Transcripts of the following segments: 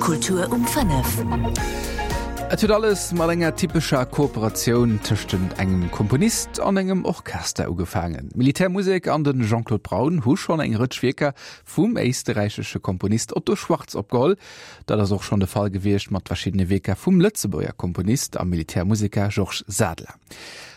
Kultur um 5. Et huet alles mat enger typescher Kooperatioun tëschtent engem Komponist an engem Orchester ugefaangen. D'Militärmusek an de Jean-Claude Braun hu schonn eng Rëtsch Wierker vum éisterräichesche Komponist Otto Schwarz opgeholl. Dat ass och schonn de Fall gewiescht mat verschiddene Wierker vum Lëtzebuerger Komponist a Militärmuseker Georges Sadler.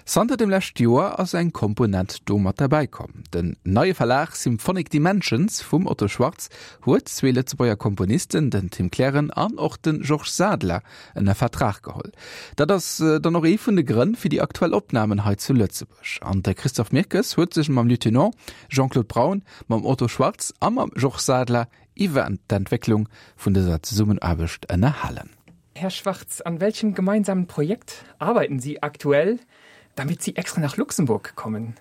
Zanter dem lescht Joer ass eng Komponent do mat derbäi komm. Den neie Verlag Symphonic Dimensions vum Otto Schwarz huet zwee Lëtzebuerger Komponisten, den Tim Kleren an och de Georges Sadler, ënner Vertrag geholl. Dat ass dann och ee vun de Grënn fir déi aktuell Opnamen hei zu Lëtzebuerg. An de Christophe Mirkes huet sech mam Lieutenant Jean-Claude Braun, mam Otto Schwarz a mam Georges Sadler iwwer d'Entwécklung vun dëser Zesummenaarbecht ënnerhalen. Herr Schwarz, an welchem gemeinsamen Projekt arbeiten Sie aktuell, damit Sie extra nach Luxemburg kommen?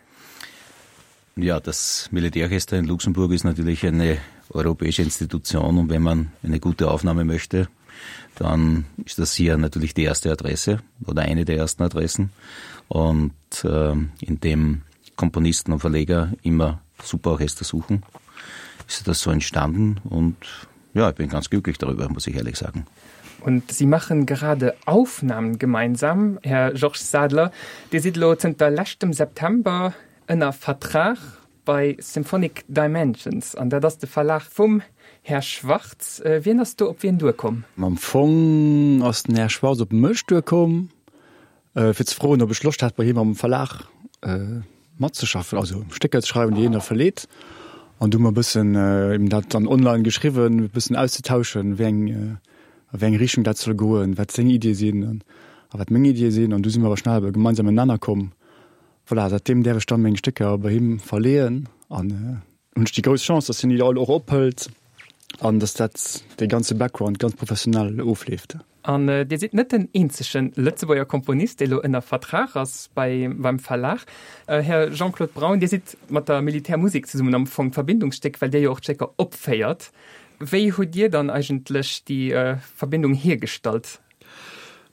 Ja, das Militärorchester in Luxemburg ist natürlich eine europäische Institution und wenn man eine gute Aufnahme möchte, dann ist das hier natürlich die erste Adresse oder eine der ersten Adressen und äh, in dem Komponisten und Verleger immer Superorchester suchen, ist das so entstanden und ja, ich bin ganz glücklich darüber, muss ich ehrlich sagen. Und Sie machen gerade Aufnahmen gemeinsam, Herr Georges Sadler. Dir sidd elo zënter leschtem September ënner Vertrag bei Symphonic Dimensions an dat ass de Verlag vum Här Schwarz. Wien ass do op wien duerkomm? Am Fong ass den Här Schwarz op mech duerkomm. Fir ze froen, ob ech Loscht hätt, bei him am Verlag matzeschaffen, also Stécker ze schreiwen, déi hien da verleet. An du hu mer e bëssen eben dat dann online geschriwwen, e bëssen auszetauschen, wéi eng, a wéi eng Richtung dat soll goen, wat seng Iddie sinn a wat meng Iddie sinn. An du si mer awer schnell op e gemeinsamen Nenner komm. Voilà, säitdeem däerf ech dann meng Stécker bei him verleeën an hunn ech déi grouss Chance, dass hien déi all och ophëlt an dass dat, dee ganze Background ganz professionell ofleeft. An Dir sidd net den eenzege Lëtzebuerger Komponist, dee lo ënner Vertrag ass bei beim Verlag. Här Jean-Claude Braun, Dir sidd mat der Militärmusek zesummen am Fong d'Verbindungsstéck, well Dir jo och d'Stécker opféiert. Wéi hutt Dir dann eigentlech déi Verbindung hiergestallt?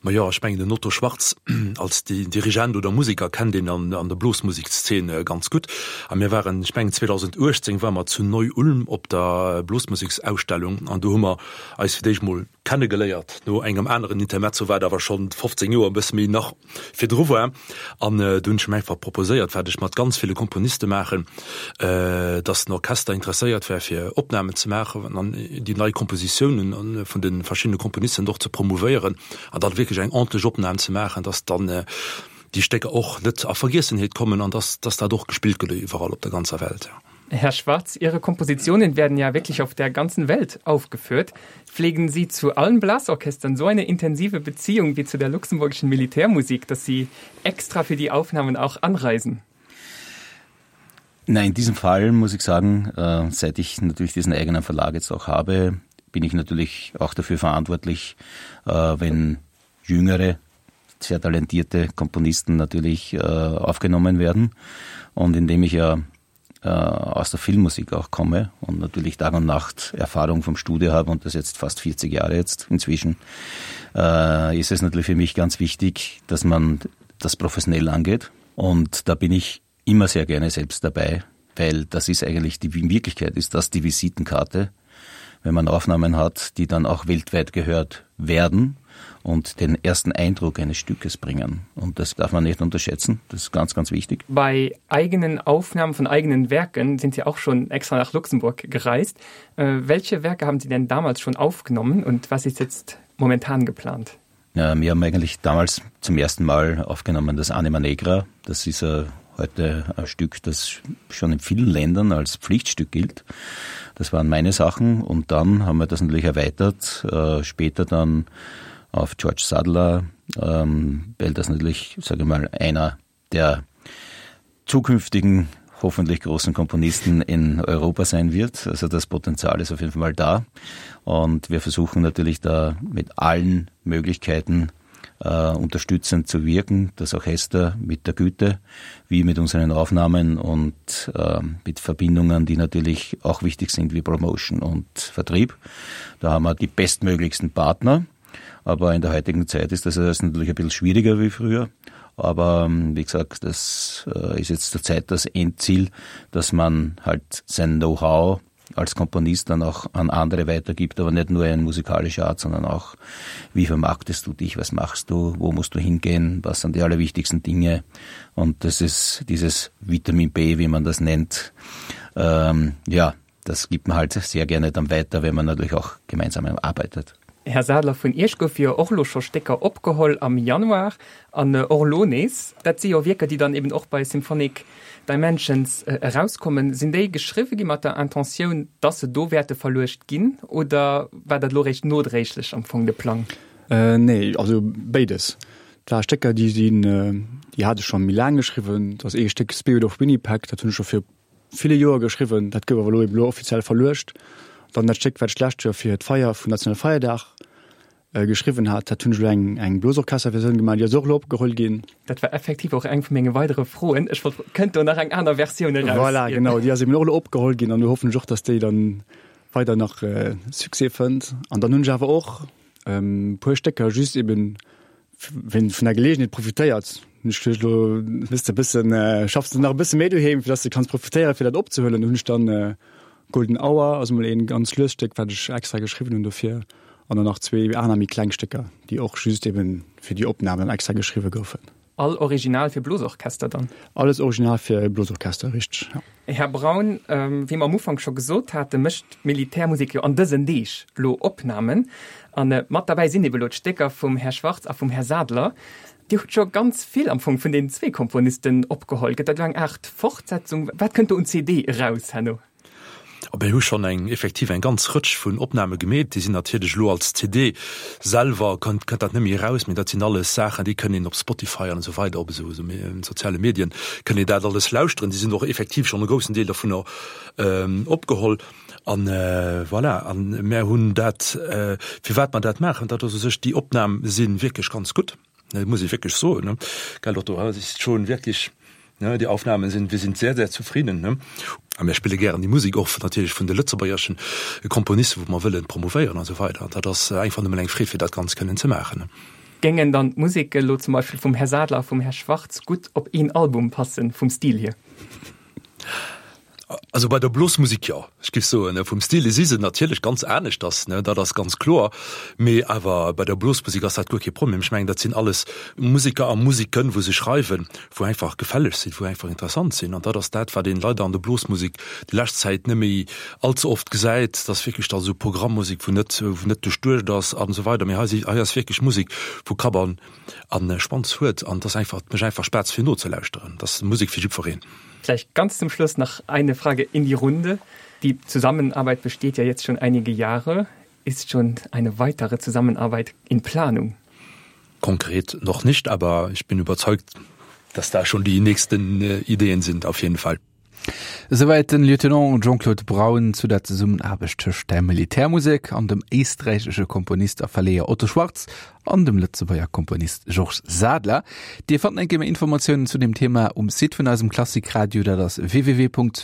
Majo, ech mengen den Otto Schwarz als Dirigent oder Museker kennt een an der Blosmusekszeen ganz gutt. A mir waren, ech mengen 2018 ware mer zu Neu-Ulm op der Blosmuseksausstellung an do hu mer eis fir d'éischt mol kennegeléiert no engem aneren Intermezzo, wat awer schonn 15 Joer e bësse méi nach virdru war. An do hunn ech em einfach proposéiert, wat ech mat ganz ville Komponiste maachen, dass den Orchester interesséiert wär fir Opnamen ze maachen an déi nei Kompositiounen vun de verschiddene Komponisten och ze promouvéieren an dann wierklech eng ordentlech Opnam ze maachen, dass dann déi Stécker och net a Vergiessenheet kommen an dass dass dat och gespillt gëtt iwwerall op der ganzer Welt. Herr Schwarz, Ihre Kompositionen werden ja wirklich auf der ganzen Welt aufgeführt. Pflegen Sie zu allen Blasorchestern so eine intensive Beziehung wie zu der luxemburgischen Militärmusik, dass Sie extra für die Aufnahmen auch anreisen? Nein, in diesem Fall muss ich sagen, äh, seit ich natürlich diesen eigenen Verlag jetzt auch habe, bin ich natürlich auch dafür verantwortlich, äh, wenn jüngere, sehr talentierte Komponisten natürlich äh, aufgenommen werden. Und indem ich ja äh, aus der Filmmusik auch komme und natürlich Tag und Nacht Erfahrung vom Studio habe und das jetzt fast 40 Jahre jetzt inzwischen, äh, ist es natürlich für mich ganz wichtig, dass man das professionell angeht. Und da bin ich immer sehr gerne selbst dabei, weil das ist eigentlich die in Wirklichkeit ist das die Visitenkarte, wenn man Aufnahmen hat, die dann auch weltweit gehört werden und den ersten Eindruck eines Stückes bringen. Und das darf man nicht unterschätzen. Das ist ganz, ganz wichtig. Bei eigenen Aufnahmen von eigenen Werken sind Sie auch schon extra nach Luxemburg gereist. Äh, welche Werke haben Sie denn damals schon aufgenommen und was ist jetzt momentan geplant? Ja, wir haben eigentlich damals zum ersten Mal aufgenommen das Anima Negra. Das ist äh, heute ein Stück, das schon in vielen Ländern als Pflichtstück gilt. Das waren meine Sachen und dann haben wir das natürlich erweitert, äh, später dann auf George Sadler, ähm, weil das natürlich, sage ich mal, einer der zukünftigen hoffentlich großen Komponisten in Europa sein wird. Also das Potenzial ist auf jeden Fall da. Und wir versuchen natürlich da mit allen Möglichkeiten äh, unterstützend zu wirken, das Orchester mit der Güte, wie mit unseren Aufnahmen und äh, mit Verbindungen, die natürlich auch wichtig sind wie Promotion und Vertrieb. Da haben wir die bestmöglichsten Partner. Aber in der heutigen Zeit ist das natürlich ein bisschen schwieriger wie früher. Aber ähm, wie gesagt, das äh, ist jetzt zur Zeit das Endziel, dass man halt sein Know-how. als Komponist dann auch an andere weitergibt, aber nicht nur in musikalischer Art, sondern auch wie vermarktest du dich, was machst du, wo musst du hingehen, was sind die allerwichtigsten Dinge und das ist dieses Vitamin B, wie man das nennt. Ähm, ja, das gibt man halt sehr gerne dann weiter, wenn man natürlich auch gemeinsam arbeitet. Här Sadler, vun Iech goufe jo och elo scho Stécker opgeholl am Januar an och elo nees. Dat si jo Wierker, déi dann eben och bei Symphonic Dimensions erauskommen. Sinn déi geschriwwe gi mat der Intentioun, dass se do wäerte verluecht ginn oder war dat elo réischt nodréiglech am Fong de Plang? Nee, also béides. Et ware Stécker, déi sinn, déi hat ech scho méi laang geschriwwen. Et ass ee Stéck Spirit of Winnipeg, dat hunn ech scho vir ville Joer geschriwwen, dat gouf awer elo eben elo offiziell verluecht. Dann dat Stéck, wat ech d'lescht Joer fir d'Feier vum Nationalfeierdag geschriwwen hat, dat hunn ech elo eng eng Blosorchesterversioun gemaach, déi ass och elo opgeholl ginn. Dat war effektiv och eng vu menge weidere Froen. Ech wollt froen, kënnt do nach eng aner Versioun eraus? Voilà, genau, déi ass eben och elo opgeholl ginn an do hoffen ech och, datt déi dann weider nach Succès fënnt. An dann hunn ech awer och e puer Stécker just eben Ween vun der Gelegenheet profitéiert, hunn ech geduecht, elo hues de e bëssen, schaffs de nach e bësse méi doheem, fir dass de kanns profitéieren, fir dat opzehuelen. Do hunn ech dann Golden Hour, also mol een ganz luest Stéck, wat ech extra geschriwwen hunn dofir, an dann nach zwee aner méi kleng Stécker, déi och just eben fir déi Opnam dann extra geschriwwe goufen. All original fir Blosorchester dann? Alles original fir Blosorchester, richteg, ja. Här Braun, wéi mer am Ufank scho gesot haten, mécht d'Militärmusek jo an dësen Deeg lo Opnamen. A mat derbäi sinn ebe lo d'Stécker vum Här Schwartz a vum Här Sadler. Dir hutt scho ganz vill am Fong vun deenen zwee Komponisten opgeholl. Gëtt dat elo eng Aart Fortsetzung? Wat kënnt do un CD eraus herno? A mir hu schonn eng effektiv eng ganz Rëtsch vun Opname gemeet. Déi sinn natierlech elo als CD selwer kënnt kënnt dat net méi eraus, mee dat sinn alles Saachen, déi kënnt een op Spotify an esou weider op esou esou soziale Medien kënnt een dat alles lauschteren. Déi sinn och effektiv schonn e groussen Deel dovunner opgeholl. An voilà, an mär hunn dat, firwat mer dat maachen, dat ass u sech, déi Opnam si wierklech ganz gutt. Dat muss ich wirklich so ne? Gell Otto, das ist schon wirklich ne, die Aufnahmen sind wir sind sehr sehr zufrieden ne? A mir spille gären déi Musik och natierlech vun de lëtzebuergeschen Komponisten, wou mer wëllen promouvéieren an esou weider. An dat ass einfach nëmmen eng Freed, fir dat Ganzt kënnen ze maachen. Géingen dann d'Museke lo zum Beispill vum Här Sadler a vum Här Schwartz gutt op een Album passen, vum Stil hier? Also bei der Blosmusik jo, ech géif soen, vum Stil si se natierlech ganz aneschters, ne, dat ass ganz kloer. Mee awer bei der Blosmusik ass dat guer kee Problem. Ech mengen, dat sinn alles Museker a Musiken, wou se schreiwen, wou einfach gefälleg sinn, wou einfach interessant sinn. An dat ass dat, wat een leider an der Blosmusik déi lescht Zäit net méi allze oft gesäit, dass wierklech da esou Programmmusik, wou net, wou net duerchduecht ass an esou weider. Mee hei si, hei ass wierklech Musik, wou Kapp an, an Schwanz huet. An dat ass einfach, et mécht einfach Spaass fir nozelauschteren. Dat ass Musek fir jiddwereen. Vielleicht ganz zum Schluss noch eine Frage in die Runde. Die Zusammenarbeit besteht ja jetzt schon einige Jahre. Ist schon eine weitere Zusammenarbeit in Planung? Konkret noch nicht, aber ich bin überzeugt, dass da schon die nächsten äh, Ideen sind auf jeden Fall. Esouwäit den Lieutenant Jean-Claude Braun zu der Zesummenaarbecht tëscht der Militärmusek an dem éisträichesche Komponist a Verleeër Otto Schwarz an dem Lëtzebuerger Komponist Georges Sadler. Dir fannt eng Kéier méi Informatiounen zu dem Thema um Site vun eisem Klassikradio, dat ass www.opus.radio.